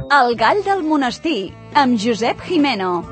El gall del monestir, amb Josep Jimeno.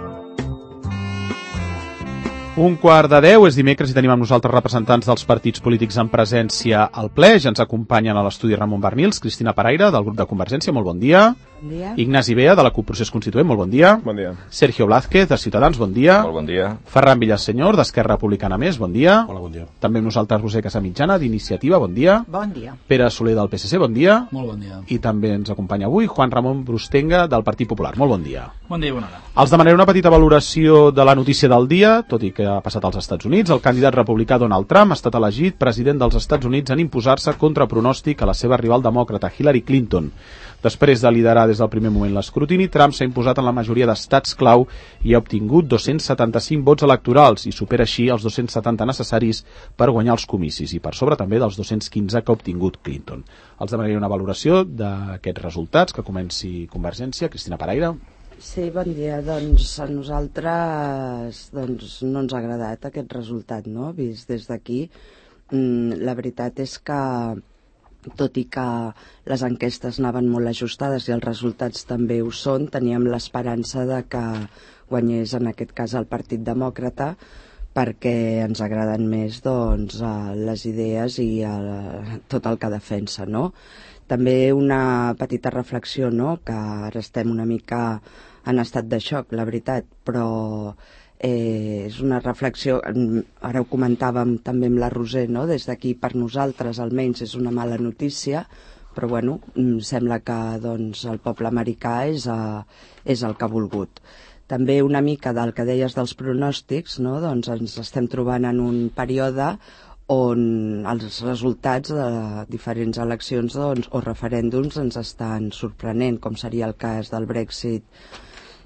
11:45, és dimecres i tenim amb nosaltres representants dels partits polítics en presència al ple. Ja ens acompanyen a l'estudi Ramon Barnils, Cristina Paraire, del grup de Convergència, molt bon dia. Bon dia. Ignasi Bea, de la CUP Procés Constituent, molt bon dia. Bon dia. Sergio Blázquez, de Ciutadans, bon dia. Molt bon dia. Ferran Villasenyor, d'Esquerra Republicana Més, bon dia. Hola, bon dia. També amb nosaltres Roser Casamitjana, d'Iniciativa, bon dia. Bon dia. Pere Soler, del PSC, bon dia. Molt bon dia. I també ens acompanya avui Juan Ramon Brustenga, del Partit Popular, molt bon dia. Bon dia i bona hora. Els demanaré una petita valoració de la notícia del dia, tot i que ha passat als Estats Units. El candidat republicà Donald Trump ha estat elegit president dels Estats Units en imposar-se contra pronòstic a la seva rival demòcrata Hillary Clinton. Després de liderar des del primer moment l'escrutini, Trump s'ha imposat en la majoria d'estats clau i ha obtingut 275 vots electorals i supera així els 270 necessaris per guanyar els comicis i per sobre també dels 215 que ha obtingut Clinton. Els demanaré una valoració d'aquests resultats, que comenci Convergència. Cristina Paraire. Sí, bon dia. Doncs a nosaltres no ens ha agradat aquest resultat, no? Vist des d'aquí. La veritat és que, tot i que les enquestes anaven molt ajustades i els resultats també ho són, teníem l'esperança de que guanyés en aquest cas el Partit Demòcrata, perquè ens agraden més les idees i tot el que defensa, no? També una petita reflexió, no? Que ara estem una mica en estat de xoc, la veritat, però és una reflexió, ara ho comentàvem també amb la Roser, no? Des d'aquí per nosaltres almenys és una mala notícia, però bueno, sembla que el poble americà és el que ha volgut. També una mica del que deies dels pronòstics, no? Doncs ens estem trobant en un període on els resultats de diferents eleccions o referèndums ens estan sorprenent, com seria el cas del Brexit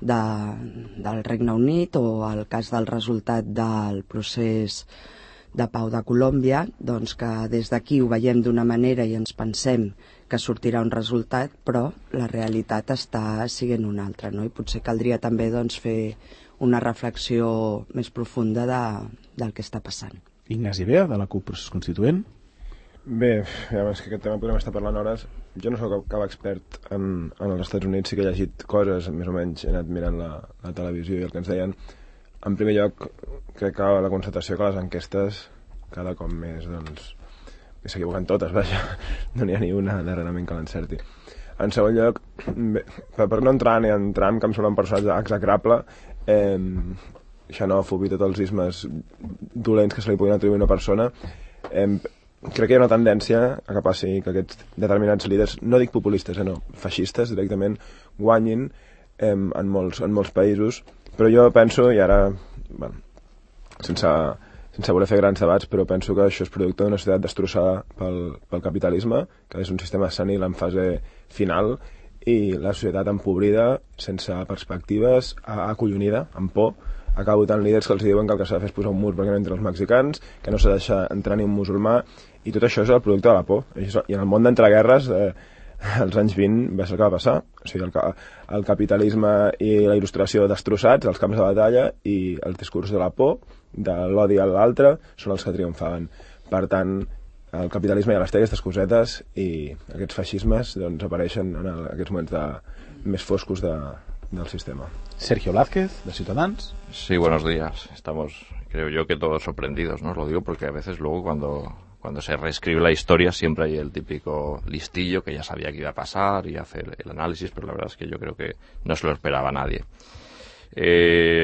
del Regne Unit o el cas del resultat del procés de pau de Colòmbia, doncs que des d'aquí ho veiem d'una manera i ens pensem que sortirà un resultat, però la realitat està sent una altra, no? I potser caldria també fer una reflexió més profunda del que està passant. Ignasi Bea, de la CUP Procés Constituent. Bé, ja és que aquest tema podem estar parlant hores. Jo no soc cap expert en els Estats Units, sí que he llegit coses, més o menys he anat mirant la televisió i el que ens deien. En primer lloc, crec que la constatació que les enquestes cada cop més, s'equivoquen totes, vaja, no n'hi ha ni una darrerament que l'encerti. En segon lloc, bé, per no entrar ni en Trump, que em sembla un personatge execrable, xenòfob i tots els ismes dolents que se li puguin atribuir a una persona, crec que hi ha una tendència a que passi que aquests determinats líders, no dic populistes, no, feixistes directament, guanyin en molts països, però jo penso, i ara, bueno, sense voler fer grans debats, però penso que això és producte d'una societat destrossada pel capitalisme, que és un sistema senil en fase final, i la societat empobrida, sense perspectives, acollonida, amb por, acaba votant líders que els diuen que el que s'ha de fer és posar un mur perquè no entren els mexicans, que no s'ha de deixar entrar ni un musulmà, i tot això és el producte de la por. I en el món d'entreguerres, als anys 20 va ser el que va passar. O sigui, el capitalisme i la il·lustració destrossats, els camps de batalla i el discurs de la por, de l'odi a l'altre, són els que triomfaven. Per tant, el capitalisme ja les té aquestes cosetes i aquests feixismes apareixen en aquests moments més foscos del sistema. Sergio Blázquez, de Ciutadans. Sí, buenos días. Estamos, creo yo, que todos sorprendidos, ¿no? Os lo digo porque a veces luego cuando se reescribe la historia siempre hay el típico listillo que ya sabía que iba a pasar y hacer el análisis, pero la verdad es que yo creo que no se lo esperaba nadie.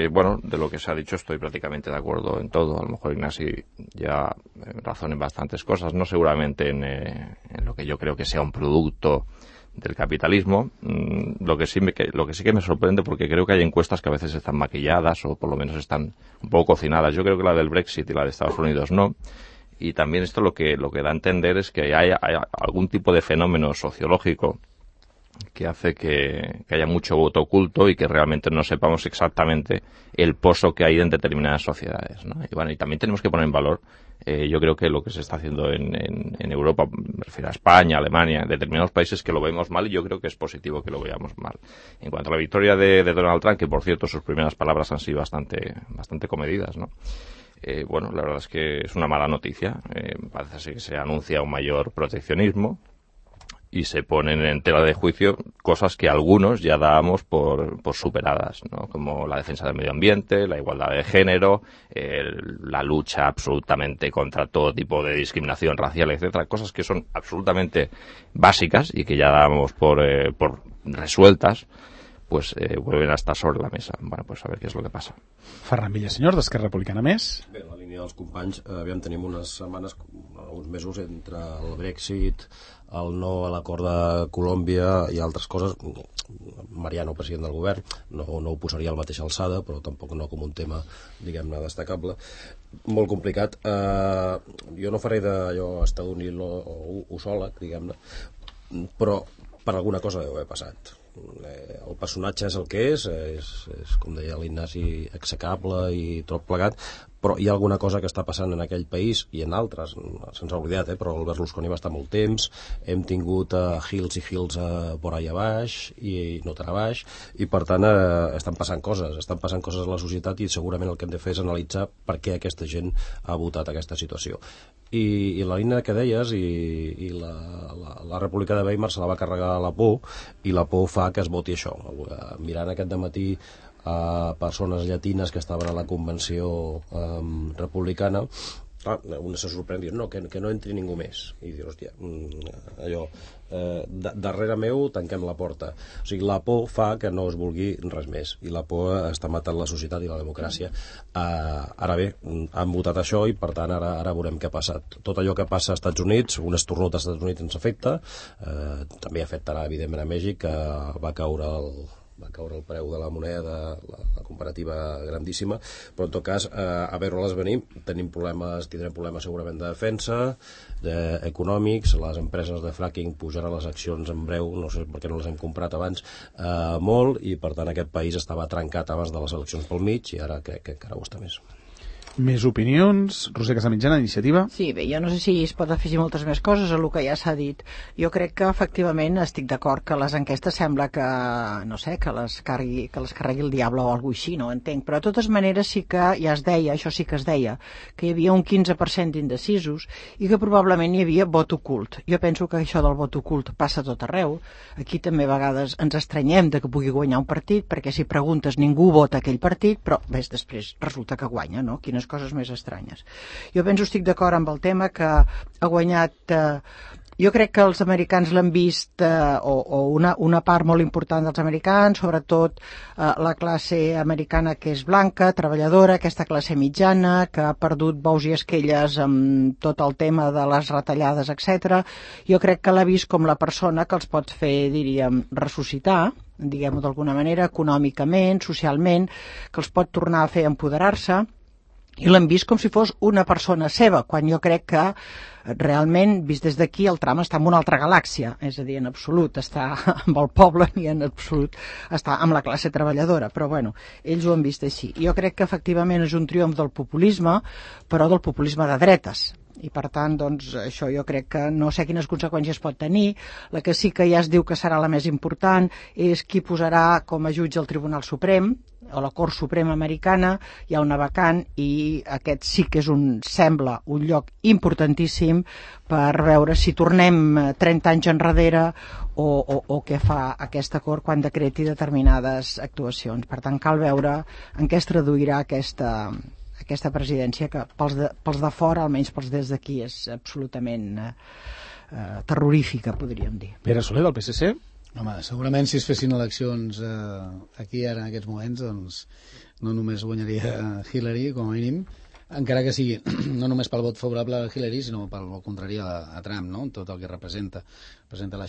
Bueno, de lo que se ha dicho estoy prácticamente de acuerdo en todo. A lo mejor Ignasi ya razona en bastantes cosas, no seguramente en lo que yo creo que sea un producto del capitalismo. Lo que sí que me sorprende, porque creo que hay encuestas que a veces están maquilladas o por lo menos están un poco cocinadas. Yo creo que la del Brexit y la de Estados Unidos no. Y también esto lo que da a entender es que hay algún tipo de fenómeno sociológico que hace que haya mucho voto oculto y que realmente no sepamos exactamente el pozo que hay en determinadas sociedades, ¿no? Y bueno, y también tenemos que poner en valor, yo creo que lo que se está haciendo en Europa, me refiero a España, Alemania, en determinados países que lo vemos mal, y yo creo que es positivo que lo veamos mal. En cuanto a la victoria de Donald Trump, que por cierto sus primeras palabras han sido bastante comedidas, ¿no? Bueno, la verdad es que es una mala noticia. Parece ser que se anuncia un mayor proteccionismo. y se ponen en tela de juicio cosas que algunos ya dábamos por superadas, ¿no? Como la defensa del medio ambiente, la igualdad de género, la lucha absolutamente contra todo tipo de discriminación racial, etcétera, cosas que son absolutamente básicas y que ya dábamos por resueltas, pues vuelven a estar sobre la mesa. Bueno, pues a ver què és el que passa. Ferran Villasenyor, d'Esquerra Republicana Més. Bé, en la línia dels companys, aviam, tenim unes setmanes, uns mesos entre el Brexit, el no a l'acord de Colòmbia i altres coses. Mariano, president del govern, no ho posaria a la mateixa alçada, però tampoc no com un tema, diguem-ne, destacable. Molt complicat. Jo no faré d'allò estadounil o usòleg, diguem-ne, però per alguna cosa deu haver passat. El personatge és el que és, com deia l'Ignasi, execrable i tot plegat, però hi ha alguna cosa que està passant en aquell país i en altres, se'ns ha oblidat, però el Berlusconi va estar molt temps, hem tingut Hills i Hills por allà baix i no tan a baix, i per tant estan passant coses a la societat, i segurament el que hem de fer és analitzar per què aquesta gent ha votat aquesta situació. I la línia que deies, i la República de Weimar se la va carregar la por, i la por fa que es voti això. Mirant aquest dematí a persones llatines que estaven a la convenció republicana, una se sorprèn dient que no entri ningú més, i dius, hòstia, allò, darrere meu tanquem la porta. O sigui, la por fa que no es vulgui res més, i la por està matant la societat i la democràcia. Ara bé, han votat això, i per tant ara veurem què ha passat. Tot allò que passa als Estats Units, un esternut als Estats Units ens afecta, també afectarà evidentment a Mèxic, que va caure el preu de la moneda, la comparativa grandíssima, però en tot cas, a veure-les venir, tindrem problemes segurament de defensa, econòmics, les empreses de fracking pujaran les accions en breu, no sé per què no les hem comprat abans, molt, i per tant aquest país estava trencat abans de les eleccions pel mig, i ara crec que encara ho està més. Més opinions. Roser Casamitjana, Iniciativa. Sí, bé, jo no sé si es pot afegir moltes més coses a el que ja s'ha dit. Jo crec que efectivament estic d'acord que les enquestes sembla que, no sé, que les carregui el diable o alguna així, no entenc. Però de totes maneres sí que ja es deia, això sí que es deia, que hi havia un 15% d'indecisos i que probablement hi havia vot ocult. Jo penso que això del vot ocult passa a tot arreu. Aquí també a vegades ens estranyem de que pugui guanyar un partit, perquè si preguntes ningú vota aquell partit, però ves, després resulta que guanya, no? Quines coses més estranyes. Jo penso, estic d'acord amb el tema que ha guanyat... Jo crec que els americans l'han vist, o una part molt important dels americans, sobretot la classe americana que és blanca, treballadora, aquesta classe mitjana, que ha perdut bous i esquelles amb tot el tema de les retallades, etc. Jo crec que l'ha vist com la persona que els pot fer, diríem, ressuscitar, diguem-ho d'alguna manera, econòmicament, socialment, que els pot tornar a fer empoderar-se, i l'hem vist com si fos una persona seva, quan jo crec que realment, vist des d'aquí, el Trump està en una altra galàxia, és a dir, en absolut està amb el poble ni en absolut està amb la classe treballadora, però bueno, ells ho han vist així. Jo crec que efectivament és un triomf del populisme, però del populisme de dretes, i per tant, doncs, això jo crec que no sé quines conseqüències pot tenir. La que sí que ja es diu que serà la més important és qui posarà com a jutge el Tribunal Suprem, o la Cort Suprema Americana. Hi ha una vacant i aquest sí que és sembla un lloc importantíssim per veure si tornem 30 anys enrere o què fa aquesta Cort quan decreti determinades actuacions. Per tant, cal veure en què es traduirà aquesta presidència, que pels de fora, almenys pels des d'aquí, és absolutament terrorífica, podríem dir. Pere Soler, del PSC. Home, segurament si es fessin eleccions aquí ara en aquests moments, doncs no només guanyaria Hillary, com a mínim, encara que sigui no només pel vot favorable a Hillary, sinó pel vot contrari a Trump, no? Tot el que representa la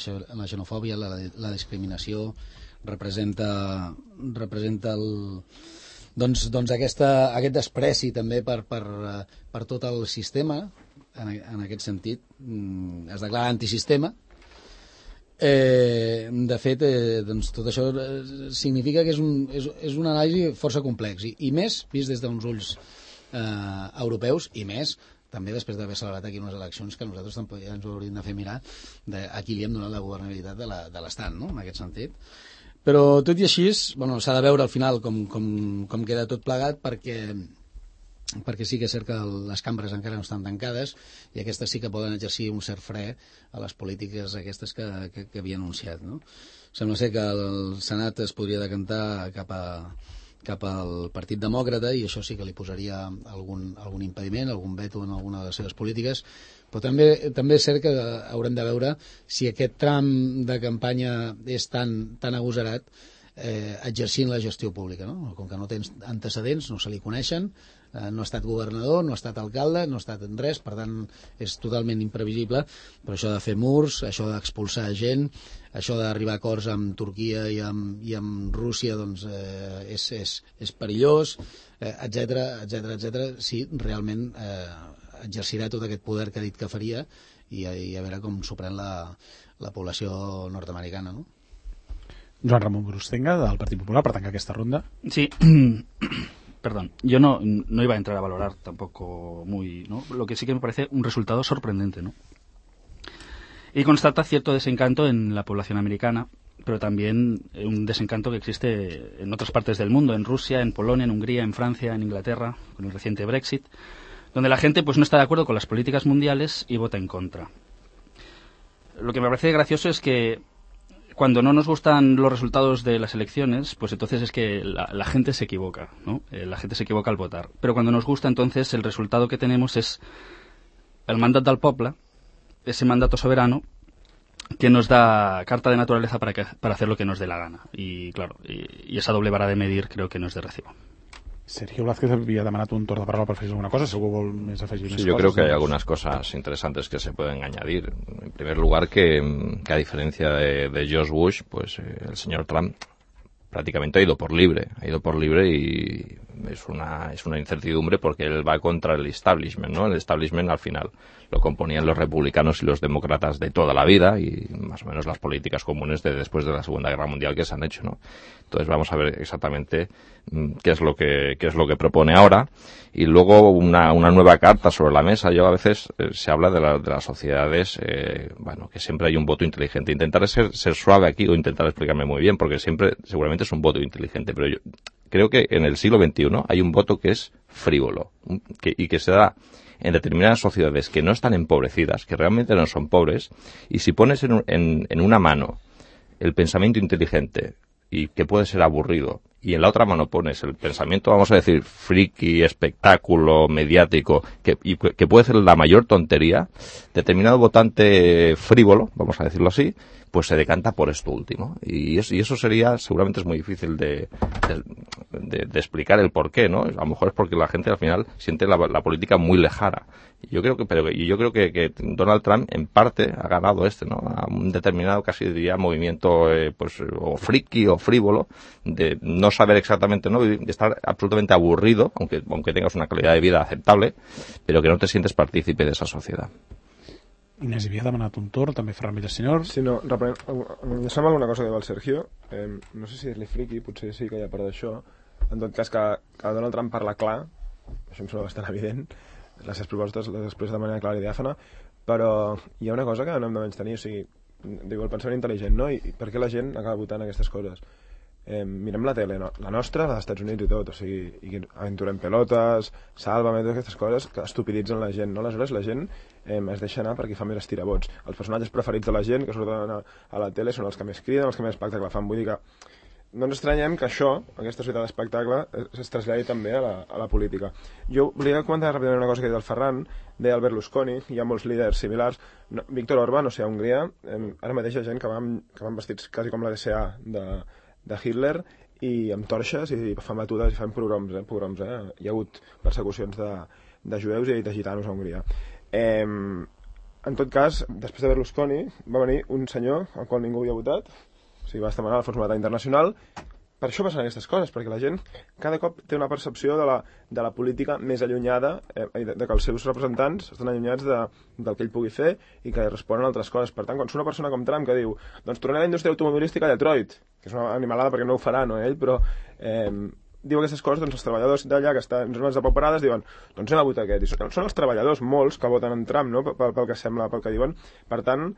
xenofòbia, la discriminació, representa doncs aquest despreci també per tot el sistema, en aquest sentit es declara antisistema. De fet, doncs tot això significa que és un anàlisi força complex, i més vist des d'uns ulls europeus, i més també després d'haver celebrat aquí unes eleccions que nosaltres també ens ho hauríem de fer mirar a qui li hem donat la governabilitat de l'Estat, no? En aquest sentit. Però tot i així, s'ha de veure al final com queda tot plegat, perquè perquè sí que és cert que les cambres encara no estan tancades i aquestes sí que poden exercir un cert fre a les polítiques aquestes que havia anunciat, no? Sembla ser que el Senat es podria decantar cap al Partit Demòcrata i això sí que li posaria algun impediment, algun veto en alguna de les seves polítiques, però també és cert que haurem de veure si aquest tram de campanya és tan agosarat exercint la gestió pública, no? Com que no tens antecedents, no se li coneixen, no ha estat governador, no ha estat alcalde, no ha estat en res, per tant és totalment imprevisible, però això de fer murs, això d'expulsar gent, això d'arribar a acords amb Turquia i amb Rússia, doncs és perillós, etc. Si realment exercirà tot aquest poder que ha dit que faria i a veure com s'ho pren la població nord-americana, no? Joan Ramon Brustenga, del Partit Popular, per tancar aquesta ronda. Sí, perdón, yo no iba a entrar a valorar tampoco muy, ¿no? Lo que sí que me parece un resultado sorprendente, ¿no? Y constata cierto desencanto en la población americana, pero también un desencanto que existe en otras partes del mundo, en Rusia, en Polonia, en Hungría, en Francia, en Inglaterra, con el reciente Brexit, donde la gente pues no está de acuerdo con las políticas mundiales y vota en contra. Lo que me parece gracioso es que cuando no nos gustan los resultados de las elecciones, pues entonces es que la gente se equivoca, ¿no? La gente se equivoca al votar. Pero cuando nos gusta, entonces el resultado que tenemos es el mandat del poble, ese mandato soberano que nos da carta de naturaleza para hacer lo que nos dé la gana. Y claro, y esa doble vara de medir creo que no es de recibo. Sergio Blázquez havia demanat un torn de paraula per afegir alguna cosa, si algú vol més afegir més coses. Yo creo que hay algunas cosas interesantes que se pueden añadir. En primer lugar, que a diferencia de George Bush, pues el señor Trump prácticamente ha ido por libre y es una incertidumbre porque él va contra el establishment, ¿no? El establishment al final lo componían los republicanos y los demócratas de toda la vida y más o menos las políticas comunes de después de la Segunda Guerra Mundial que se han hecho, ¿no? Entonces vamos a ver exactamente qué es lo que propone ahora y luego una nueva carta sobre la mesa. Yo a veces se habla de las sociedades, que siempre hay un voto inteligente. Intentaré ser suave aquí o intentar explicarme muy bien porque seguramente es un voto inteligente, pero yo creo que en el siglo XXI hay un voto que es frívolo y que se da en determinadas sociedades que no están empobrecidas, que realmente no son pobres, y si pones en una mano el pensamiento inteligente y que puede ser aburrido, y en la otra mano pones el pensamiento, vamos a decir, friki, espectáculo, mediático, que puede ser la mayor tontería, determinado votante frívolo, vamos a decirlo así, pues se decanta por esto último. Y eso sería, seguramente es muy difícil de explicar el por qué, ¿no? A lo mejor es porque la gente al final siente la política muy lejana. Yo creo que Donald Trump en parte ha ganado ¿no? A un determinado, casi diría, movimiento o friki o frívolo, de no saber exactamente, ¿no? De estar absolutamente aburrido, aunque tengas una calidad de vida aceptable, pero que no te sientes partícipe de esa sociedad. Inés havia demanat un torn, també Ferran Villasenyor. Sí, no, em sembla alguna cosa que diu el Sergio, no sé si dir-li friqui, potser sí que hi ha part d'això, en tot cas que Donald Trump parla clar, això em sembla bastant evident, les seves propostes les expressa de manera clara i diàfana, però hi ha una cosa que no hem de menys tenir, o sigui, diu el pensament intel·ligent, no? I per què la gent acaba votant aquestes coses? Mirem la tele, no? La nostra, la dels Estats Units i tot, o sigui, i aventurem pelotes, Sálvame, totes aquestes coses que estupiditzen la gent, no? Aleshores la gent es deixa anar perquè fa més estirabots. Els personatges preferits de la gent que surten a la tele són els que més criden, els que més espectacle fan. Vull dir que no ens estranyem que això, aquesta societat d'espectacle, es traslladi també a la política. Jo volia comentar ràpidament una cosa que ha dit el Ferran, deia el Berlusconi, hi ha molts líders similars. Víctor Orbán, o sigui, a Hongria, ara mateix hi ha gent que van vestits quasi com la DSA de Hitler i amb torxes i fan batudes i fan pogroms. Hi ha hagut persecucions de jueus i de gitanos a Hongria. En tot cas, després de Berlusconi va venir un senyor al qual ningú havia votat, o sigui, va estar manant el Fons Monetari Internacional. Per això passen aquestes coses, perquè la gent cada cop té una percepció de la política més allunyada, de que els seus representants estan allunyats del que ell pugui fer i que responen a altres coses. Per tant, quan surt una persona com Trump que diu doncs tornem a la indústria automobilística a Detroit, que és una animalada perquè no ho farà, no ell, però diu aquestes coses, doncs els treballadors d'allà que estan en zones depauperades diuen doncs anem a votar aquest. I són els treballadors, molts, que voten en Trump, no? pel que sembla, pel que diuen. Per tant,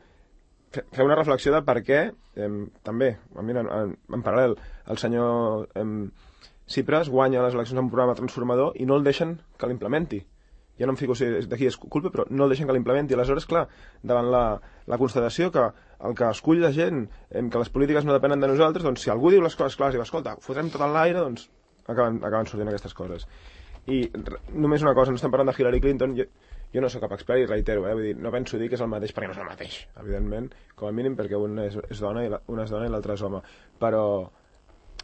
fer una reflexió de per què també, mira, en paral·lel, el senyor Tsipras guanya les eleccions amb un programa transformador i no el deixen que l'implementi. Ja no em fico si d'aquí és culpa, però no el deixen que l'implementi. Aleshores, clar, davant la constatació que el que escull la gent, que les polítiques no depenen de nosaltres, doncs si algú diu les coses clares i va, escolta, fotrem tot en l'aire, doncs acaben sortint aquestes coses. I només una cosa, no estem parlant de Hillary Clinton, jo no sóc cap expert i reitero, vull dir, no penso dir que és el mateix perquè no és el mateix, evidentment, com a mínim perquè un és dona i l'altre és home, però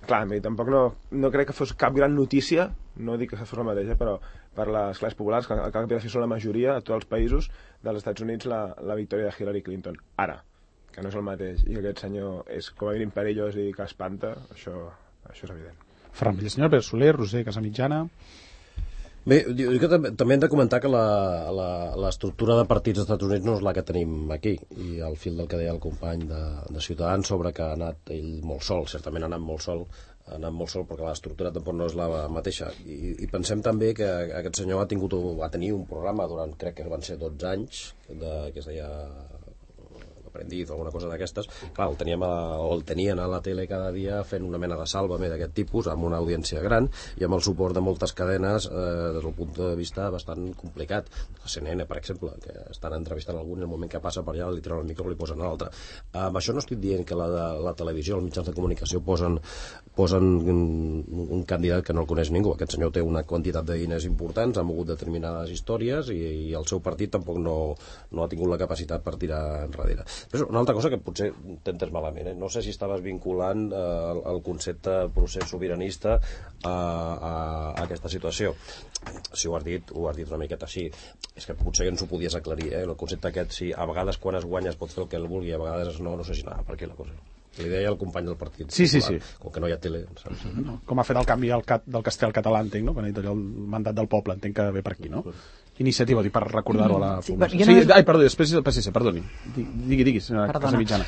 clar, tampoc no crec que fos cap gran notícia, no dic que fos la mateixa, però per les classes populars, que el que havia de fer són la majoria a tots els països dels Estats Units la victòria de Hillary Clinton. Ara, que no és el mateix, i que aquest senyor és com a mínim perillós i que espanta, això és evident. Ferran Villasenyor, Pere Soler, Roser Casamitjana... Bé, jo que també hem de comentar que l'estructura de partits dels Estats Units no és la que tenim aquí, i al fil del que deia el company de Ciutadans sobre que ha anat ell molt sol, certament ha anat molt sol perquè l'estructura tampoc no és la mateixa, i pensem també que aquest senyor va tenir un programa durant, crec que van ser 12 anys, que es deia Aprendiz o alguna cosa d'aquestes. Clar, el tenien a la tele cada dia fent una mena de sàlvame d'aquest tipus, amb una audiència gran i amb el suport de moltes cadenes des del punt de vista bastant complicat. La CNN, per exemple, que estan entrevistant algun i el moment que passa per allà li treuen el micro i li posen a l'altre. Amb això no estic dient que la televisió, els mitjans de comunicació posen un candidat que no el coneix ningú. Aquest senyor té una quantitat de diners importants, ha mogut determinades històries i el seu partit tampoc no ha tingut la capacitat per tirar enrere. Però una altra cosa que potser t'entens malament, no sé si estaves vinculant el concepte procés sobiranista a aquesta situació. Si ho has dit una miqueta així. És que potser ens ho podies aclarir, el concepte aquest, si a vegades quan es guanya es pot fer el que el vulgui, a vegades no sé si anava per aquí la cosa. Li deia el company del partit. Sí. Com que no hi ha tele. No, com ha fet el canvi del castellà al català, entenc, no? Quan ha dit allò, el mandat del poble, entenc que ve per aquí, no? Iniciativa, per recordar-ho a la població. Perdó, després el PSC, perdoni. Digui, senyora Casamitjana.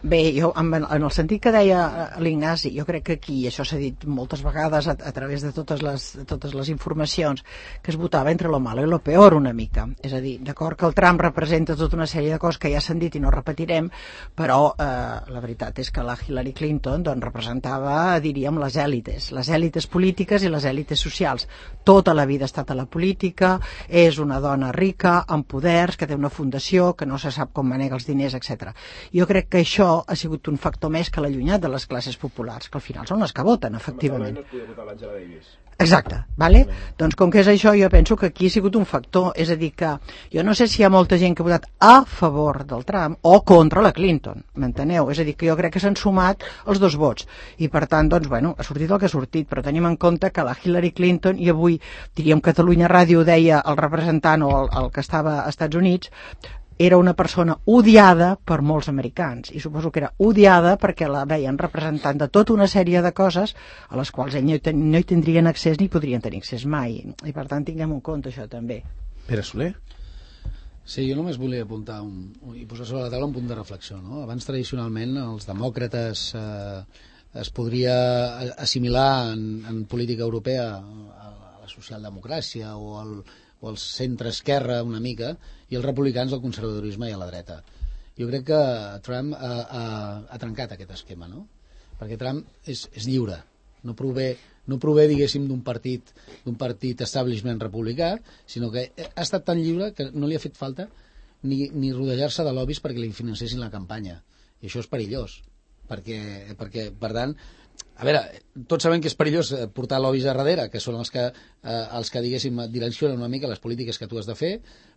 Bé, jo, en el sentit que deia l'Ignasi, jo crec que aquí, això s'ha dit moltes vegades a través de totes les informacions, que es votava entre lo malo i lo peor una mica. És a dir, d'acord que el Trump representa tota una sèrie de coses que ja s'han dit i no repetirem, però la veritat és que la Hillary Clinton representava, diríem, les èlites polítiques i les èlites socials. Tota la vida ha estat a la política, és una dona rica, amb poders, que té una fundació, que no se sap com manega els diners, etc. Jo crec que això ha sigut un factor més que l'ha allunyat de les classes populars, que al final són les que voten, efectivament. No es podia votar l'Angela Davis. Exacte, vale? Doncs com que és això, jo penso que aquí ha sigut un factor, és a dir que jo no sé si hi ha molta gent que ha votat a favor del Trump o contra la Clinton, m'enteneu? És a dir, que jo crec que s'han sumat els dos vots i per tant, doncs, bueno, ha sortit el que ha sortit, però tenim en compte que la Hillary Clinton, i avui diríem Catalunya Ràdio deia el representant o el que estava als Estats Units, era una persona odiada per molts americans i suposo que era odiada perquè la veien representant de tota una sèrie de coses a les quals no hi tindrien accés ni podrien tenir accés mai, i per tant tinguem en compte això també. Pere Soler? Sí, jo només volia apuntar i posar sobre la taula un punt de reflexió, no? Abans tradicionalment els demòcrates es podria assimilar en política europea a la socialdemocràcia o al centre-esquerra una mica, i els republicans al conservadorisme i a la dreta. Jo crec que Trump ha trencat aquest esquema, no? Perquè Trump és lliure, no prové diguéssim d'un partit establishment republicà, sinó que ha estat tan lliure que no li ha fet falta ni rodejar-se de lobbies perquè li financessin la campanya, i això és perillós perquè per tant, a veure, tots sabem que és perillós portar lobbies a darrere, que són els que diguéssim direccionen una mica les polítiques que tu has de fer,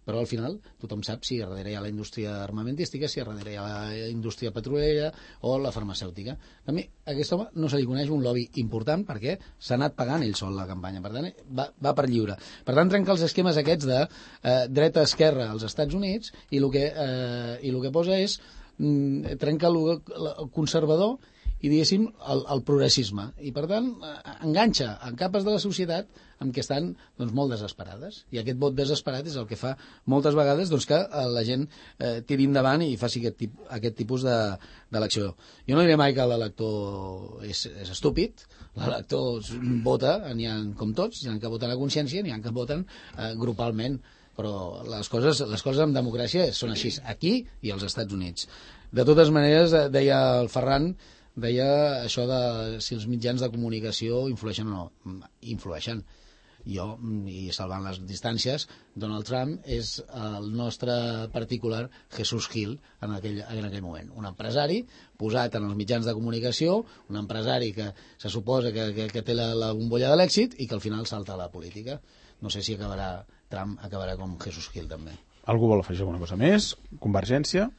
però al final tothom sap si a darrere hi ha la indústria armamentística, si a darrere hi ha la indústria petrolera o la farmacèutica. A mi a aquest home no se li coneix un lobby important perquè s'ha anat pagant ell sol la campanya, per tant va per lliure. Per tant trenca els esquemes aquests de dreta-esquerra als Estats Units i el que posa és trenca el conservador i diguéssim el progressisme, i per tant enganxa en capes de la societat amb què estan molt desesperades, i aquest vot desesperat és el que fa moltes vegades que la gent tiri endavant i faci aquest tipus d'elecció. Jo no diré mai que l'elector és estúpid, l'elector vota, n'hi ha com tots, n'hi ha que voten a consciència, n'hi ha que voten grupalment, però les coses en democràcia són així, aquí i als Estats Units. De totes maneres, deia el Ferran, deia això de si els mitjans de comunicació influeixen o no. Influeixen. Jo, i salvant les distàncies, Donald Trump és el nostre particular Jesús Gil en aquell moment. Un empresari posat en els mitjans de comunicació, un empresari que se suposa que té la bombolla de l'èxit i que al final salta a la política. No sé si Trump acabarà com Jesús Gil també. Algú vol afegir alguna cosa més? Convergència?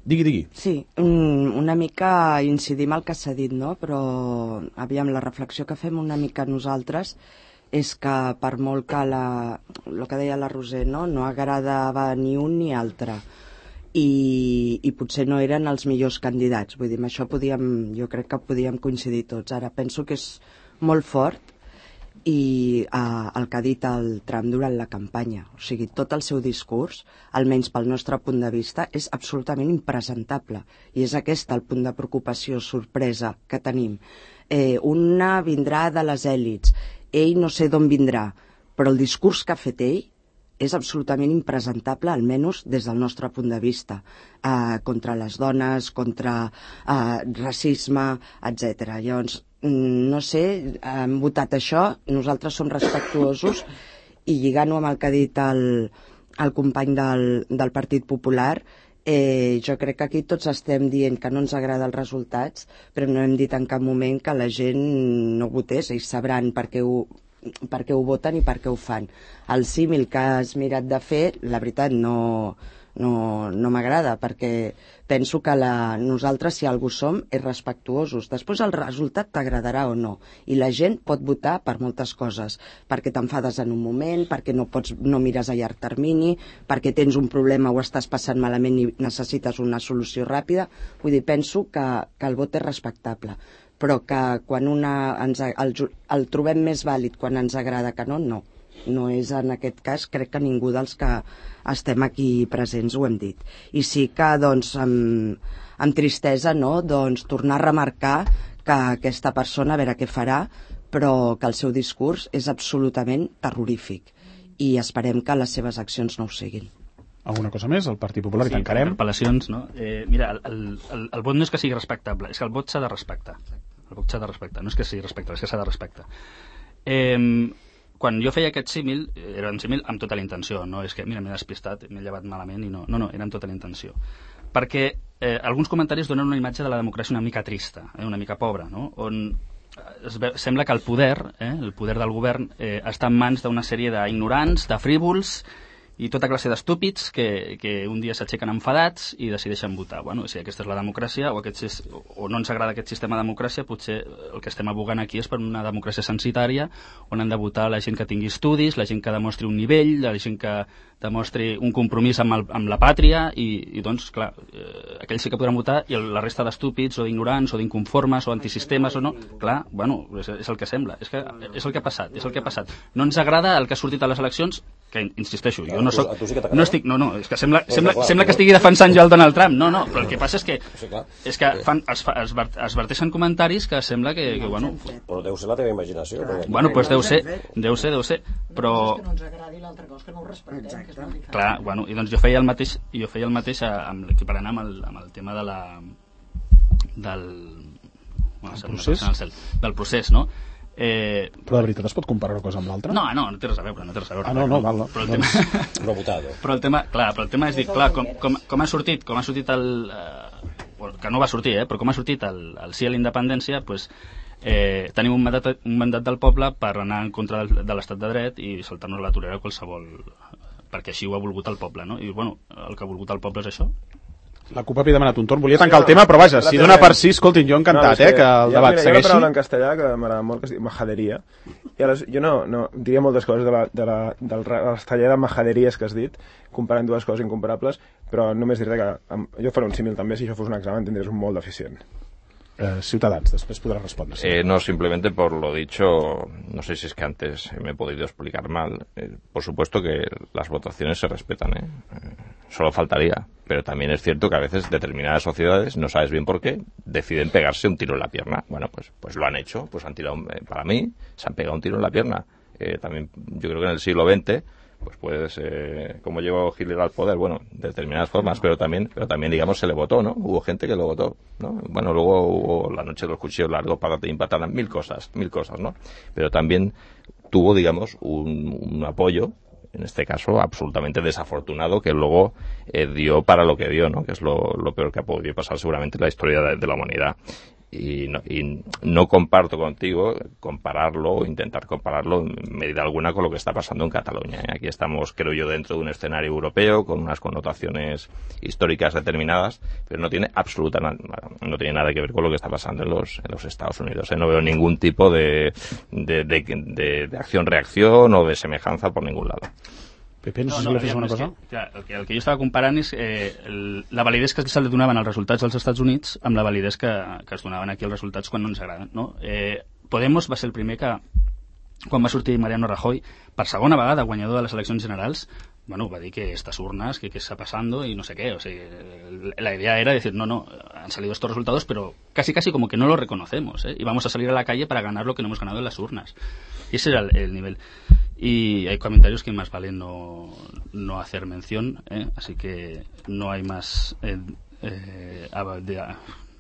Digui. Sí, una mica incidim al que s'ha dit, no? Però, aviam, la reflexió que fem una mica nosaltres és que per molt que el que deia la Roser, no agradava ni un ni altre i potser no eren els millors candidats. Vull dir, amb això jo crec que podíem coincidir tots. Ara penso que és molt fort i el que ha dit el Trump durant la campanya. O sigui, tot el seu discurs, almenys pel nostre punt de vista, és absolutament impresentable. I és aquest el punt de preocupació, sorpresa que tenim. Una vindrà de les èlits, ell no sé d'on vindrà, però el discurs que ha fet ell és absolutament impresentable, almenys des del nostre punt de vista, contra les dones, contra racisme, etc. Llavors, no sé, hem votat això, nosaltres som respectuosos i lligant-ho amb el que ha dit el company del Partit Popular, jo crec que aquí tots estem dient que no ens agraden els resultats, però no hem dit en cap moment que la gent no votés, ells sabran per què ho voten i per què ho fan. El símil que has mirat de fer, la veritat, no m'agrada, perquè penso que nosaltres, si algú som, és respectuosos. Després el resultat t'agradarà o no. I la gent pot votar per moltes coses. Perquè t'enfades en un moment, perquè no mires a llarg termini, perquè tens un problema o estàs passant malament i necessites una solució ràpida. Vull dir, penso que el vot és respectable. Però que quan el trobem més vàlid quan ens agrada que no, no. No és en aquest cas, crec que ningú dels que estem aquí presents ho hem dit. I sí que, doncs, amb tristesa, no?, doncs, tornar a remarcar que aquesta persona, a veure què farà, però que el seu discurs és absolutament terrorífic. I esperem que les seves accions no ho siguin. Alguna cosa més? El Partit Popular, i tancarem. Interpel·lacions, no? Mira, el vot no és que sigui respectable, és que el vot s'ha de respectar. El vot s'ha de respectar, no és que sigui respectable, és que s'ha de respectar. Quan jo feia aquest símil, era un símil amb tota la intenció, no és que, mira, m'he despistat, m'he llevat malament, i no, era amb tota la intenció. Perquè alguns comentaris donen una imatge de la democràcia una mica trista, una mica pobra, no?, on sembla que el poder del govern està en mans d'una sèrie d'ignorants, de frívols, i tota classe d'estúpids que un dia s'aixequen enfadats i decideixen votar. Bueno, si aquesta és la democràcia o no ens agrada aquest sistema de democràcia, potser el que estem abogant aquí és per una democràcia censitària on han de votar la gent que tingui estudis, la gent que demostri un nivell, la gent que demostri un compromís amb la pàtria i doncs, clar, aquells sí que podran votar i la resta d'estúpids o d'ignorants o d'inconformes o antisistemes o no, clar, bueno, és el que sembla, és el que ha passat, No ens agrada el que ha sortit a les eleccions, que insisteixo, jo no soc... és que sembla que estigui defensant jo el Donald Trump, no, però el que passa és que es verteixen comentaris que sembla que bueno... Però deu ser la teva imaginació. Bueno, doncs deu ser, però... Que no ens agradi l'altra cosa, que no ho respectem. Clar, bueno, i doncs jo feia el mateix equiparant amb el tema del procés, no? Però de veritat es pot comparar una cosa amb l'altra? No té res a veure. Val. Però el tema és dir, clar, com ha sortit que no va sortir, però com ha sortit el sí a la independència, doncs tenim un mandat del poble per anar en contra de l'estat de dret i saltar-nos la torera qualsevol, perquè així ho ha volgut el poble, no? I bueno, el que ha volgut el poble és això. La CUP havia demanat un torn, volia tancar el tema, però vaja, si dona per sí, escoltin, jo encantat, que el debat segueixi. Hi ha una paraula en castellà que m'agrada molt, que es diu majaderia, i jo no diria moltes coses del taller de majaderies que has dit, comparant dues coses incomparables, però només diré que jo faré un símil també, si això fos un examen tindries un molt deficient. Ciutadans, después podrás responder. No, simplemente por lo dicho, no sé si es que antes me he podido explicar mal. Por supuesto que las votaciones se respetan, solo faltaría. Pero también es cierto que a veces determinadas sociedades, no sabes bien por qué, deciden pegarse un tiro en la pierna. Bueno, pues lo han hecho, pues han tirado, para mí, se han pegado un tiro en la pierna. También yo creo que en el siglo XX pues puedes, como llegó Hitler al poder, bueno, de determinadas formas, pero también digamos se le votó, ¿no? Hubo gente que lo votó, ¿no? Bueno, luego hubo la noche de los cuchillos largos, párate y empataran, mil cosas, ¿no? Pero también tuvo, digamos, un apoyo, en este caso absolutamente desafortunado, que luego dio para lo que dio, ¿no? Que es lo peor que ha podido pasar seguramente en la historia de la humanidad. Y no comparto contigo compararlo o intentar compararlo en medida alguna con lo que está pasando en Cataluña. Aquí estamos, creo yo, dentro de un escenario europeo con unas connotaciones históricas determinadas, pero no tiene nada que ver con lo que está pasando en los Estados Unidos. No veo ningún tipo de acción-reacción o de semejanza por ningún lado. Pepe, no sé si fes una cosa? El que jo estava comparant és la validesa que se li donaven els resultats als Estats Units amb la validesa que es donaven aquí els resultats quan no ens agraden, no? Podemos va ser el primer que, quan va sortir Mariano Rajoy, per segona vegada guanyador de les eleccions generals, bueno, va dir que estas urnas, que está pasando y no sé qué. O sea, la idea era decir, no, han salido estos resultados, pero casi como que no lo reconocemos, y vamos a salir a la calle para ganar lo que no hemos ganado en las urnas. Y ese era el nivel. Y hay comentarios que más vale no hacer mención, así que no hay más...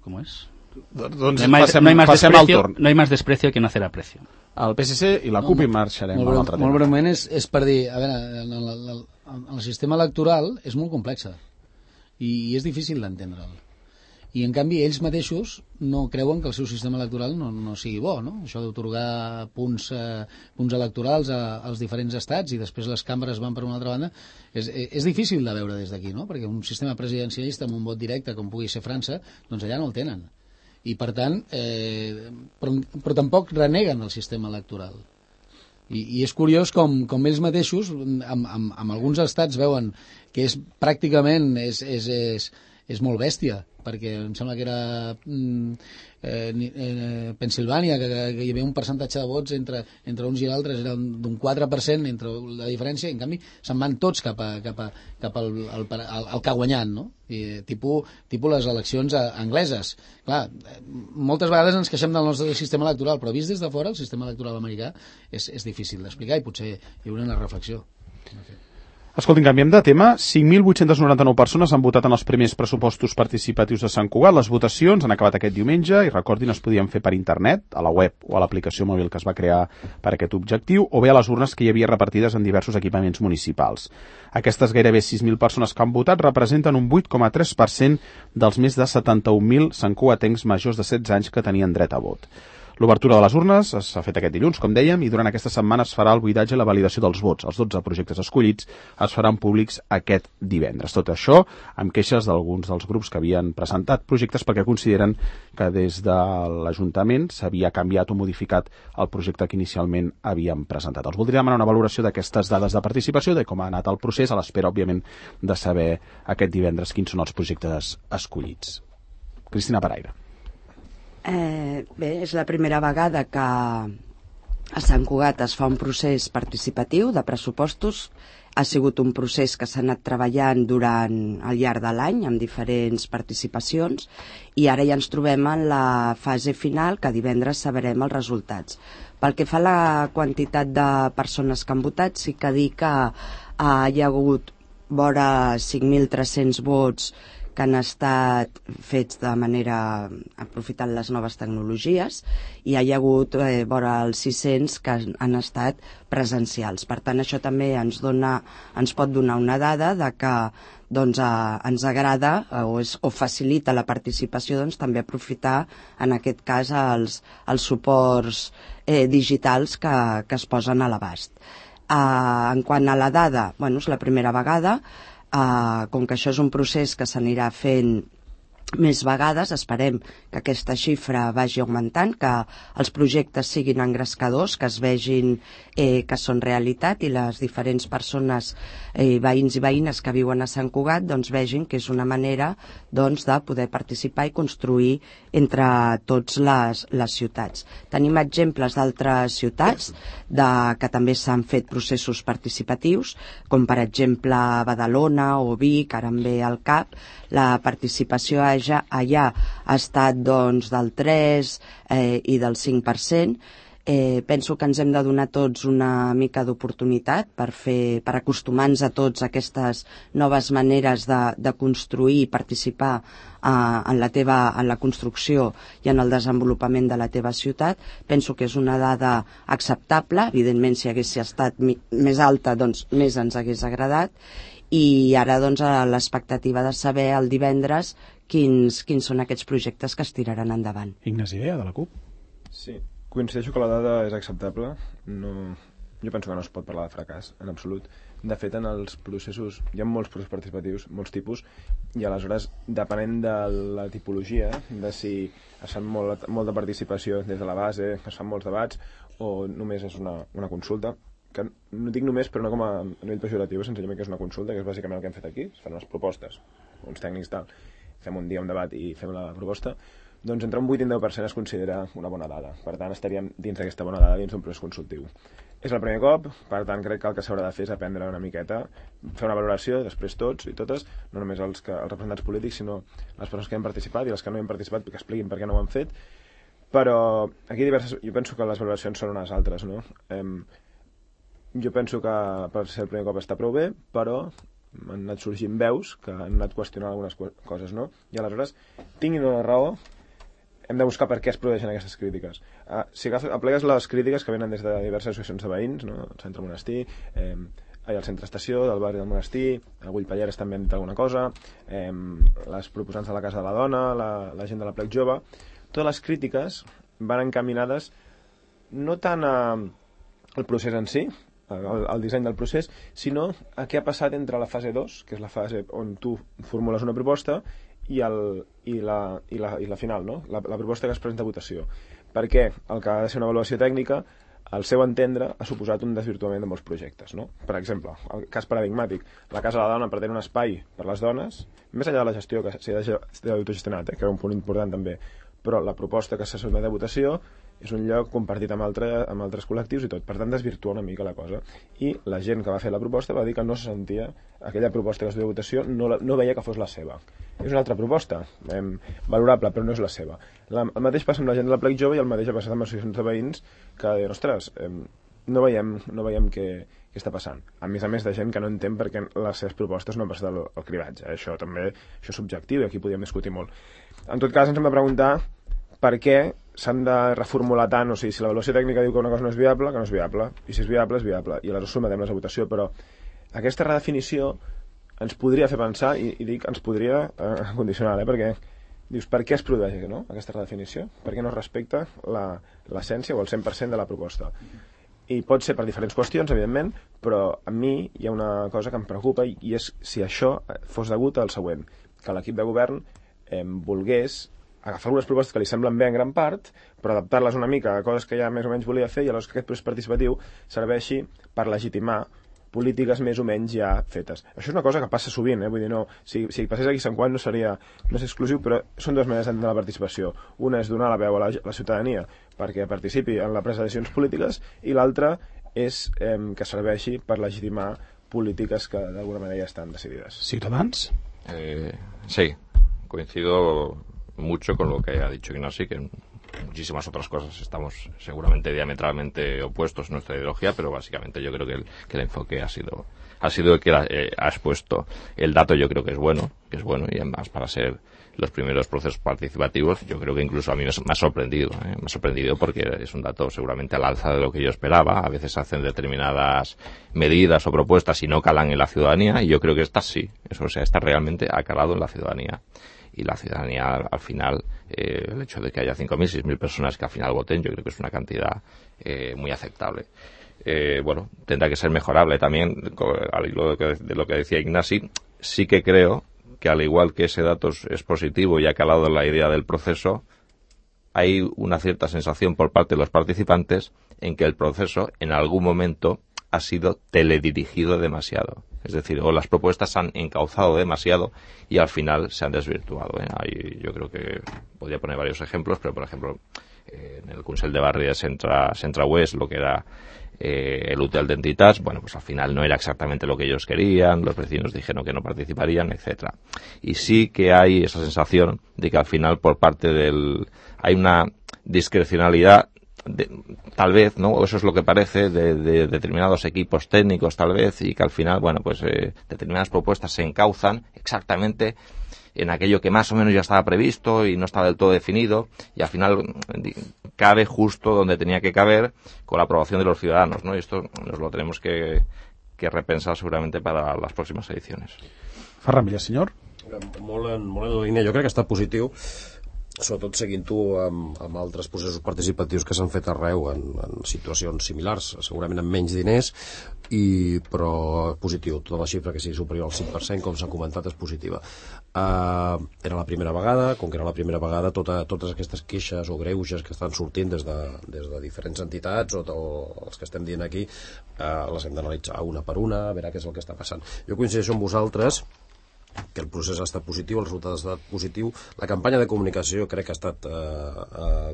¿cómo es? No hay más desprecio que no hacer aprecio. El PSC i la CUP i marxarem a l'altre tema. Molt breument és per dir, a veure, el sistema electoral és molt complex i és difícil d'entendre'l. I en canvi ells mateixos no creuen que el seu sistema electoral no sigui bo, no? Això d'atorgar punts electorals als diferents estats i després les cambres van per una altra banda és difícil de veure des d'aquí, no? Perquè un sistema presidencialista amb un vot directe com pugui ser França, doncs allà no el tenen. I per tant, però tampoc reneguen el sistema electoral. I és curiós com ells mateixos amb alguns estats veuen que és pràcticament és molt bèstia, perquè em sembla que era Pensilvània, que hi havia un percentatge de vots entre uns i l'altres, era d'un 4% entre la diferència, i en canvi se'n van tots cap al que ha guanyat, no? Tipus les eleccions angleses. Clar, moltes vegades ens queixem del nostre sistema electoral, però vist des de fora el sistema electoral americà és difícil d'explicar i potser hi haurà una reflexió. Escoltin, canviem de tema. 5.899 persones han votat en els primers pressupostos participatius de Sant Cugat. Les votacions han acabat aquest diumenge i recordin, es podien fer per internet, a la web o a l'aplicació mòbil que es va crear per aquest objectiu, o bé a les urnes que hi havia repartides en diversos equipaments municipals. Aquestes gairebé 6.000 persones que han votat representen un 8,3% dels més de 71.000 santcugatencs majors de 16 anys que tenien dret a vot. L'obertura de les urnes s'ha fet aquest dilluns, com dèiem, i durant aquesta setmana es farà el buidatge i la validació dels vots. Els 12 projectes escollits es faran públics aquest divendres. Tot això amb queixes d'alguns dels grups que havien presentat projectes perquè consideren que des de l'Ajuntament s'havia canviat o modificat el projecte que inicialment havien presentat. Els voldria demanar una valoració d'aquestes dades de participació, de com ha anat el procés, a l'espera, òbviament, de saber aquest divendres quins són els projectes escollits. Cristina Paraire. Bé, és la primera vegada que a Sant Cugat es fa un procés participatiu de pressupostos. Ha sigut un procés que s'ha anat treballant durant el llarg de l'any amb diferents participacions i ara ja ens trobem en la fase final, que divendres sabrem els resultats. Pel que fa a la quantitat de persones que han votat, sí que dir que hi ha hagut vora 5.300 vots que han estat fets de manera aprofitant les noves tecnologies i hi ha hagut vora els 600 que han estat presencials. Per tant, això també ens pot donar una dada de que ens agrada o facilita la participació, també aprofitar en aquest cas els suports digitals que es posen a l'abast. En quant a la dada, és la primera vegada. Com que això és un procés que s'anirà fent més vegades, esperem que aquesta xifra vagi augmentant, que els projectes siguin engrescadors, que es vegin que són realitat i les diferents persones, veïns i veïnes que viuen a Sant Cugat, vegin que és una manera de poder participar i construir entre tots les ciutats. Tenim exemples d'altres ciutats que també s'han fet processos participatius, com per exemple Badalona o Vic, ara em ve al cap. La participació allà ha estat del 3 i del 5%, Penso que ens hem de donar tots una mica d'oportunitat per acostumar-nos a tots a aquestes noves maneres de construir i participar en la construcció i en el desenvolupament de la teva ciutat. Penso que és una dada acceptable. Evidentment, si hagués estat més alta, doncs més ens hagués agradat. I ara, doncs, a l'expectativa de saber el divendres quins són aquests projectes que es tiraran endavant. Ignasi Bea, de la CUP. Sí, coincideixo que la dada és acceptable. Jo penso que no es pot parlar de fracàs, en absolut. De fet, en els processos, hi ha molts processos participatius, molts tipus, i aleshores, depenent de la tipologia, de si es fa molta participació des de la base, es fan molts debats, o només és una consulta, que no dic només, però no com a nivell pejoratiu, senzillament que és una consulta, que és bàsicament el que hem fet aquí, es fan unes propostes, uns tècnics tal, fem un dia un debat i fem la proposta, doncs entre un 8 i un 10% es considera una bona dada. Per tant, estaríem dins d'aquesta bona dada, dins d'un procés consultiu. És el primer cop, per tant, crec que el que s'haurà de fer és aprendre una miqueta, fer una valoració, després tots i totes, no només els representants polítics, sinó les persones que han participat i les que no han participat, que expliquin per què no ho han fet. Però aquí jo penso que les valoracions són unes altres, no? Jo penso que per ser el primer cop està prou bé, però han anat sorgint veus que han anat qüestionant algunes coses, no? I aleshores, tinguin una raó, hem de buscar per què es produeixen aquestes crítiques. Si aplegues les crítiques que venen des de diverses associacions de veïns, no? El centre Monestir, al centre estació, del barri del Monestir, a Güllpalleres també han dit alguna cosa, les proposants de la Casa de la Dona, la gent de la Plec Jove, totes les crítiques van encaminades no tant al procés en si, al disseny del procés, sinó a què ha passat entre la fase 2, que és la fase on tu formules una proposta, i la final, no? La proposta que es presenta a votació. Perquè el que ha de ser una avaluació tècnica, al seu entendre, ha suposat un desvirtuament de molts projectes, no? Per exemple, el cas paradigmàtic, la Casa de la Dona pretén un espai per les dones, més enllà de la gestió que s'ha d'autogestionat, que era un punt important també, però la proposta que se sotmet a votació és un lloc compartit amb altres col·lectius i tot, per tant desvirtua una mica la cosa. I la gent que va fer la proposta va dir que no se sentia, aquella proposta que es duia a votació no veia que fos la seva. És una altra proposta, valorable, però no és la seva. El mateix passa amb la gent de la Plec Jove i el mateix ha passat amb associacions de veïns que diuen, ostres, no veiem què està passant. A més de gent que no entén perquè les seves propostes no han passat al cribatge. Això és subjectiu i aquí podríem discutir molt. En tot cas, ens hem de preguntar per què s'han de reformular tant, o sigui, si l'avaluació tècnica diu que una cosa no és viable, que no és viable, i si és viable, és viable, i aleshores sotmetem-les a votació, però aquesta redefinició ens podria fer pensar, i dic ens podria condicionar, perquè dius, per què es produeix aquesta redefinició? Per què no es respecta l'essència o el 100% de la proposta? I pot ser per diferents qüestions, evidentment, però a mi hi ha una cosa que em preocupa, i és si això fos degut al següent, que l'equip de govern volgués agafar algunes propostes que li semblen bé en gran part, però adaptar-les una mica a coses que ja més o menys volia fer, i aleshores que aquest procés participatiu serveixi per legitimar polítiques més o menys ja fetes. Això és una cosa que passa sovint, vull dir, no, si passés aquí a Sant Juan no és exclusiu, però són dues maneres d'entendre la participació. Una és donar la veu a la ciutadania perquè participi en la presa de decisions polítiques, i l'altra és que serveixi per legitimar polítiques que d'alguna manera ja estan decidides. Ciutadans? Sí, coincido mucho con lo que ha dicho Ignasi, que en muchísimas otras cosas estamos seguramente diametralmente opuestos en nuestra ideología, pero básicamente yo creo que el enfoque ha sido el que ha expuesto. El dato yo creo que es bueno, y además para ser los primeros procesos participativos, yo creo que incluso a mí me ha sorprendido porque es un dato seguramente al alza de lo que yo esperaba. A veces hacen determinadas medidas o propuestas y no calan en la ciudadanía, y yo creo que esta sí, esta realmente ha calado en la ciudadanía. Y la ciudadanía, al final, el hecho de que haya 5.000, 6.000 personas que al final voten, yo creo que es una cantidad muy aceptable. Tendrá que ser mejorable también, al hilo de lo que decía Ignasi. Sí que creo que, al igual que ese dato es positivo y ha calado en la idea del proceso, hay una cierta sensación por parte de los participantes en que el proceso, en algún momento, ha sido teledirigido demasiado. Es decir, o las propuestas han encauzado demasiado y al final se han desvirtuado. Ahí yo creo que podría poner varios ejemplos, pero por ejemplo, en el Consell de Barri de Centre West, lo que era el hotel de entitats, pues al final no era exactamente lo que ellos querían, los vecinos dijeron que no participarían, etcétera. Y sí que hay esa sensación de que al final por parte hay una discrecionalidad tal vez, ¿no? Eso es lo que parece de determinados equipos técnicos, tal vez, y que al final, bueno, pues determinadas propuestas se encauzan exactamente en aquello que más o menos ya estaba previsto y no estaba del todo definido, y al final cabe justo donde tenía que caber con la aprobación de los ciudadanos, ¿no? Y esto nos lo tenemos que repensar segurament para les pròximes edicions. Ferran Villasenyor. Molt en la línia, jo crec que està positiu, sobretot seguint-ho amb altres processos participatius que s'han fet arreu en situacions similars, segurament amb menys diners, però positiu, tota la xifra que sigui superior al 5%, com s'ha comentat, és positiva. Era la primera vegada, com que era la primera vegada, totes aquestes queixes o greuges que estan sortint des de diferents entitats o els que estem dient aquí, les hem d'analitzar una per una, a veure què és el que està passant. Jo coincideixo amb vosaltres que el procés ha estat positiu, el resultat ha estat positiu, la campanya de comunicació crec que ha estat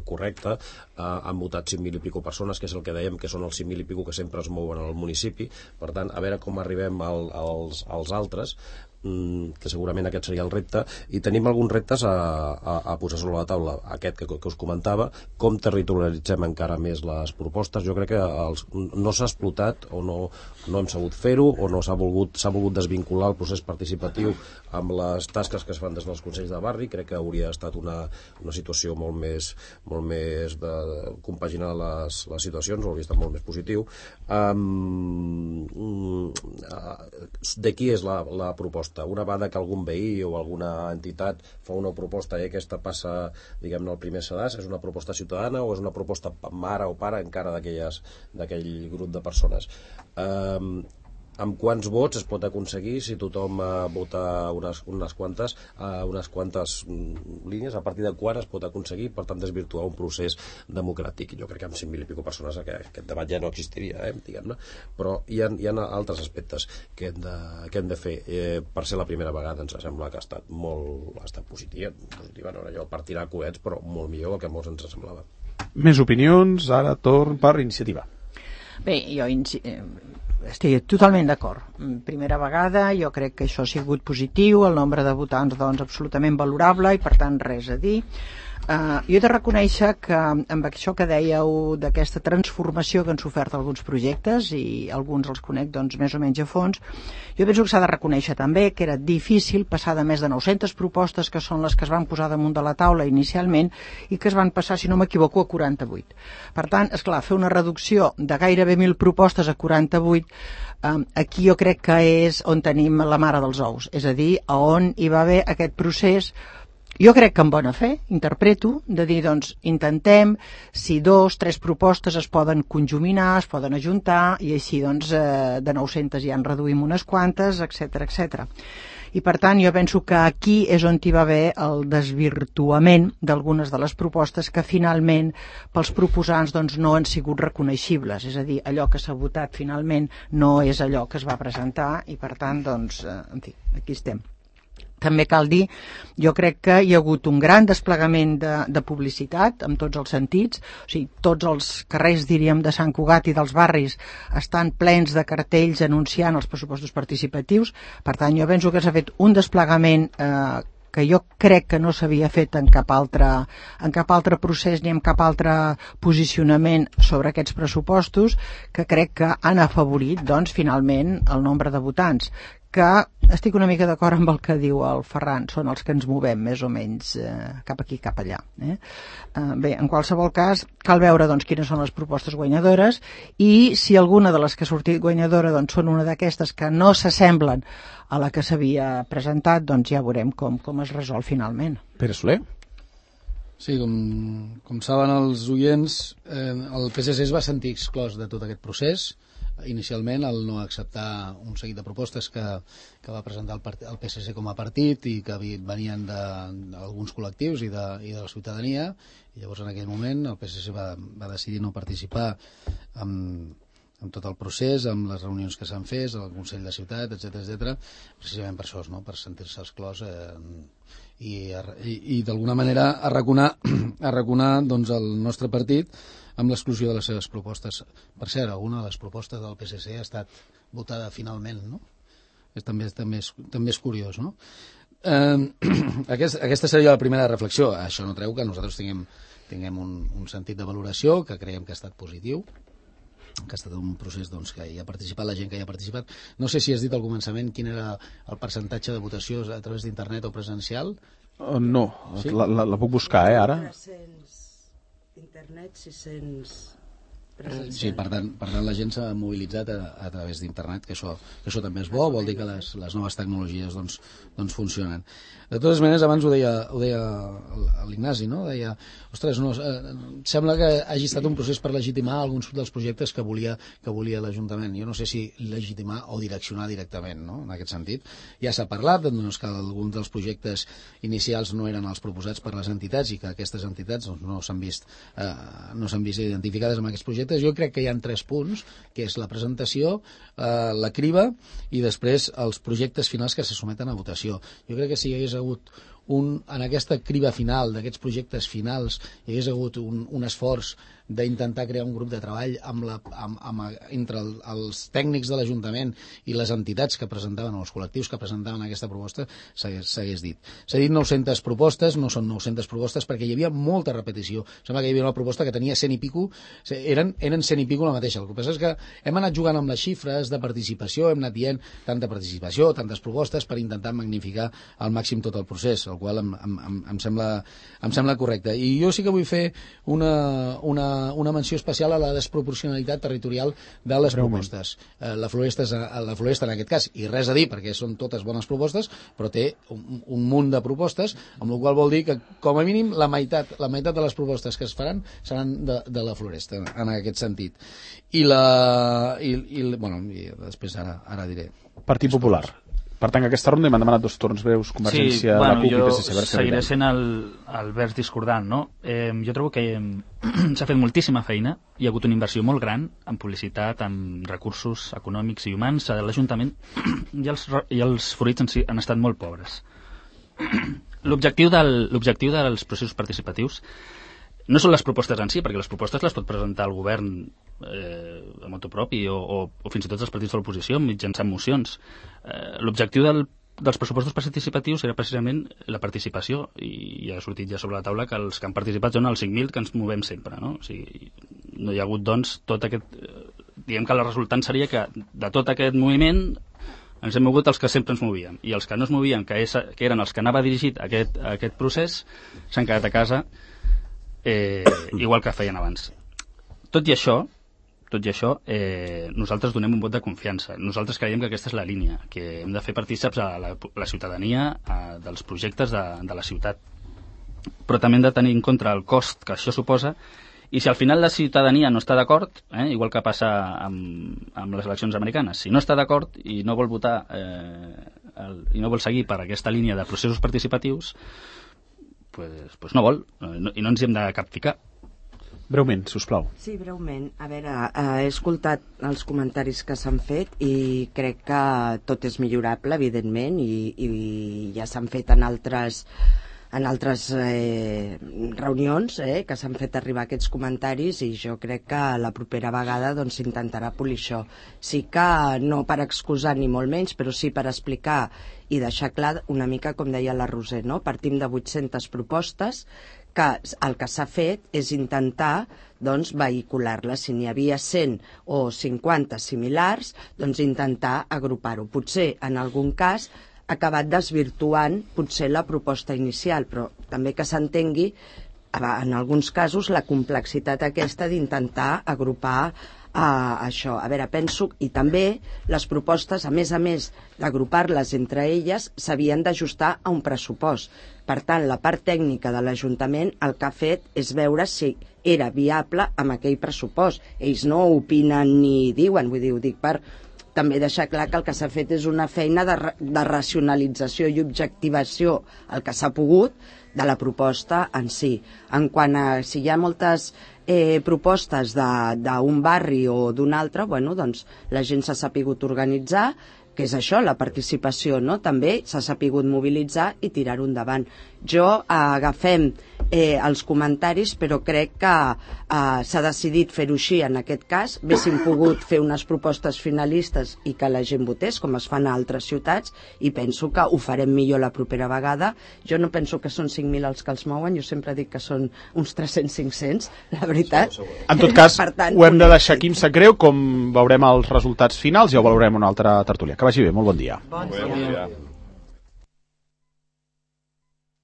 correcta, han votat 5.000 i pico persones, que és el que dèiem, que són els 5.000 i pico que sempre es mouen al municipi, per tant, a veure com arribem als altres, que segurament aquest seria el repte, i tenim alguns reptes a posar sobre la taula, aquest que us comentava, com territorialitzem encara més les propostes. Jo crec que no s'ha explotat o no hem sabut fer-ho, o no s'ha volgut desvincular el procés participatiu amb les tasques que es fan des dels consells de barri. Crec que hauria estat una situació molt més de compaginar les situacions, hauria estat molt més positiu. De qui és la proposta? Una vegada que algun veí o alguna entitat fa una proposta i aquesta passa, diguem-ne, al primer sedàs, és una proposta ciutadana o és una proposta mare o pare encara d'aquell grup de persones? Amb quants vots es pot aconseguir si tothom vota unes quantes línies, a partir de quan es pot aconseguir, per tant desvirtuar un procés democràtic? Jo crec que amb 5.000 i pico persones aquest debat ja no existiria, diguem-ne, però hi ha altres aspectes que hem de fer. Per ser la primera vegada ens sembla que ha estat positiva, no era allò per tirar coets, però molt millor del que molts ens semblava. Més opinions, ara torn per iniciativa. Bé, jo estic totalment d'acord. Primera vegada, jo crec que això ha sigut positiu, el nombre de votants doncs absolutament valorable i per tant res a dir. Jo he de reconèixer que amb això que dèieu d'aquesta transformació que han sofert alguns projectes, i alguns els conec doncs més o menys a fons, jo penso que s'ha de reconèixer també que era difícil passar de més de 900 propostes, que són les que es van posar damunt de la taula inicialment, i que es van passar, si no m'equivoco, a 48. Per tant, esclar, fer una reducció de gairebé 1.000 propostes a 48, aquí jo crec que és on tenim la mare dels ous, és a dir, on hi va haver aquest procés. Jo crec que amb bona fe, interpreto, de dir, doncs, intentem, si 2, 3 propostes es poden conjuminar, es poden ajuntar, i així, doncs, de 900 ja en reduïm unes quantes, etc. I, per tant, jo penso que aquí és on hi va haver el desvirtuament d'algunes de les propostes que, finalment, pels proposants, doncs, no han sigut reconeixibles. És a dir, allò que s'ha votat, finalment, no és allò que es va presentar, i, per tant, doncs, en fi, aquí estem. També cal dir, jo crec que hi ha hagut un gran desplegament de publicitat, en tots els sentits, o sigui, tots els carrers, diríem, de Sant Cugat i dels barris estan plens de cartells anunciant els pressupostos participatius. Per tant, jo penso que s'ha fet un desplegament que jo crec que no s'havia fet en cap altre procés ni en cap altre posicionament sobre aquests pressupostos, que crec que han afavorit, doncs, finalment, el nombre de votants, que estic una mica d'acord amb el que diu el Ferran, són els que ens movem més o menys cap aquí, cap allà. Bé, en qualsevol cas, cal veure doncs, quines són les propostes guanyadores, i si alguna de les que ha sortit guanyadora doncs, són una d'aquestes que no s'assemblen a la que s'havia presentat, doncs ja veurem com es resol finalment. Pere Soler? Sí, com saben els oients, el PSC es va sentir exclòs de tot aquest procés, inicialment al no acceptar un seguit de propostes que va presentar el PSC com a partit i que venien d'alguns col·lectius i de la ciutadania, i llavors en aquell moment el PSC va decidir no participar amb tot el procés, amb les reunions que s'han fet al Consell de Ciutat, etc, precisament per això, no? Per sentir-se exclòs i d'alguna manera arraconar doncs, el nostre partit amb l'exclusió de les seves propostes. Per cert, alguna de les propostes del PSC ha estat votada finalment, no? També és curiós, no? Aquesta seria la primera reflexió. Això no treu que nosaltres tinguem un sentit de valoració que creiem que ha estat positiu, que ha estat un procés doncs, que hi ha participat la gent que hi ha participat. No sé si has dit al començament quin era el percentatge de votació a través d'internet o presencial. No, sí? la puc buscar, ara. 300 internet, 600 presencial. Sí, per tant la gent s'ha mobilitzat a través d'internet, que això també és bo, vol dir que les noves tecnologies doncs funcionen. De totes maneres, abans ho deia l'Ignasi, no? Deia, ostres, sembla que hagi estat un procés per legitimar alguns dels projectes que volia l'Ajuntament. Jo no sé si legitimar o direccionar directament, no? En aquest sentit. Ja s'ha parlat doncs, que alguns dels projectes inicials no eren els proposats per les entitats i que aquestes entitats doncs, no s'han vist identificades amb aquests projectes. Jo crec que hi ha 3 punts, que és la presentació, la criba i després els projectes finals que se someten a votació. Jo crec que si hi hagués hagut en aquesta criba final d'aquests projectes finals hi hagués hagut un esforç d'intentar crear un grup de treball entre els tècnics de l'Ajuntament i les entitats que presentaven, o els col·lectius que presentaven aquesta proposta, s'hagués dit. S'ha dit 900 propostes, no són 900 propostes perquè hi havia molta repetició. Sembla que hi havia una proposta que tenia 100 i pico, eren 100 i pico la mateixa. El que passa és que hem anat jugant amb les xifres de participació, hem anat dient tanta participació, tantes propostes per intentar magnificar al màxim tot el procés, el qual em sembla correcte. I jo sí que vull fer una menció especial a la desproporcionalitat territorial de les propostes. La Floresta en aquest cas, i res a dir perquè són totes bones propostes, però té un munt de propostes, amb la qual vol dir que com a mínim la meitat de les propostes que es faran seran de la Floresta, en aquest sentit. I després ara diré. Partit Popular. Per tant, aquesta ronda m'han demanat 2 torns breus, Convergència, la CUP i PSC. Jo seguiré sent el vers discordant, no? Jo trobo que s'ha fet moltíssima feina, hi ha hagut una inversió molt gran en publicitat, en recursos econòmics i humans a l'Ajuntament i els fruits han estat molt pobres. L'objectiu dels processos participatius no són les propostes en si, perquè les propostes les pot presentar el govern a motu propi o fins i tot els partits de l'oposició mitjançant mocions. L'objectiu dels pressupostos participatius era precisament la participació, i ja ha sortit ja sobre la taula que els que han participat són els 5.000 que ens movem sempre, no? O sigui, no hi ha hagut doncs tot aquest... Diguem que la resultant seria que de tot aquest moviment ens hem mogut els que sempre ens movíem, i els que no es movien, que eren els que anava dirigit a aquest procés, s'han quedat a casa igual que feien abans. Tot i això, nosaltres donem un vot de confiança. Nosaltres creiem que aquesta és la línia, que hem de fer partícips a la ciutadania dels projectes de la ciutat. Però també hem de tenir en compte el cost que això suposa, i si al final la ciutadania no està d'acord, igual que passa amb les eleccions americanes, si no està d'acord i no vol votar i no vol seguir per aquesta línia de processos participatius, pues no vol, i no ens hi hem de capficar. Breument, sisplau. Sí, breument. A veure, he escoltat els comentaris que s'han fet i crec que tot és millorable, evidentment, i ja s'han fet en altres reunions que s'han fet arribar aquests comentaris, i jo crec que la propera vegada doncs s'intentarà polir això. Sí que no per excusar ni molt menys, però sí per explicar i deixar clar una mica, com deia la Roser, no? Partim de 800 propostes que el que s'ha fet és intentar doncs, vehicular-les. Si n'hi havia 100 o 50 similars, doncs intentar agrupar-ho. Potser en algun cas ha acabat desvirtuant potser la proposta inicial, però també que s'entengui en alguns casos la complexitat aquesta d'intentar agrupar això. A veure, penso, i també les propostes, a més d'agrupar-les entre elles, s'havien d'ajustar a un pressupost. Per tant, la part tècnica de l'Ajuntament el que ha fet és veure si era viable amb aquell pressupost. Ells no opinen ni diuen, vull dir, ho dic per també deixar clar que el que s'ha fet és una feina de racionalització i objectivació, el que s'ha pogut, de la proposta en si. En quant a si hi ha moltes propostes d'un barri o d'un altre, bueno, doncs la gent s'ha sapigut organitzar, que és això, la participació, no? També s'ha sapigut mobilitzar i tirar-ho endavant. Jo agafem els comentaris, però crec que s'ha decidit fer-ho així en aquest cas. Haguéssim pogut fer unes propostes finalistes i que la gent votés, com es fan a altres ciutats, i penso que ho farem millor la propera vegada. Jo no penso que són 5.000 els que els mouen, jo sempre dic que són uns 300-500, la veritat. En tot cas, tant, ho hem de deixar aquí, em sap greu, com veurem els resultats finals, ja ho valorem una altra tertúlia. Que vagi bé, molt bon dia. Bon dia.